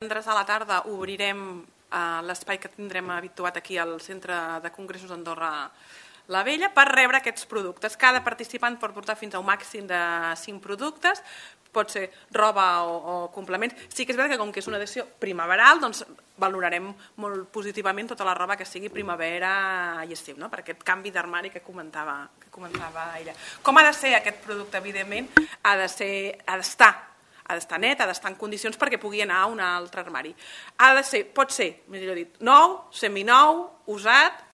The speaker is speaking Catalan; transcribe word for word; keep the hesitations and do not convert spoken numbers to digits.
Divendres a la tarda obrirem eh, l'espai que tindrem habituat aquí al Centre de Congressos d'Andorra la Vella per rebre aquests productes. Cada participant pot portar fins a un màxim de cinc productes, pot ser roba o, o complements. Sí que és veritat que com que és una edició primaveral, doncs valorarem molt positivament tota la roba que sigui primavera i estiu, no? Per aquest canvi d'armari que comentava, que comentava ella. Com ha de ser aquest producte? Evidentment, ha de ser, ha d'estar ha d'estar net, ha d'estar en condicions perquè pugui anar a un altre armari. Ha de ser, pot ser, millor dit, nou, seminou, usat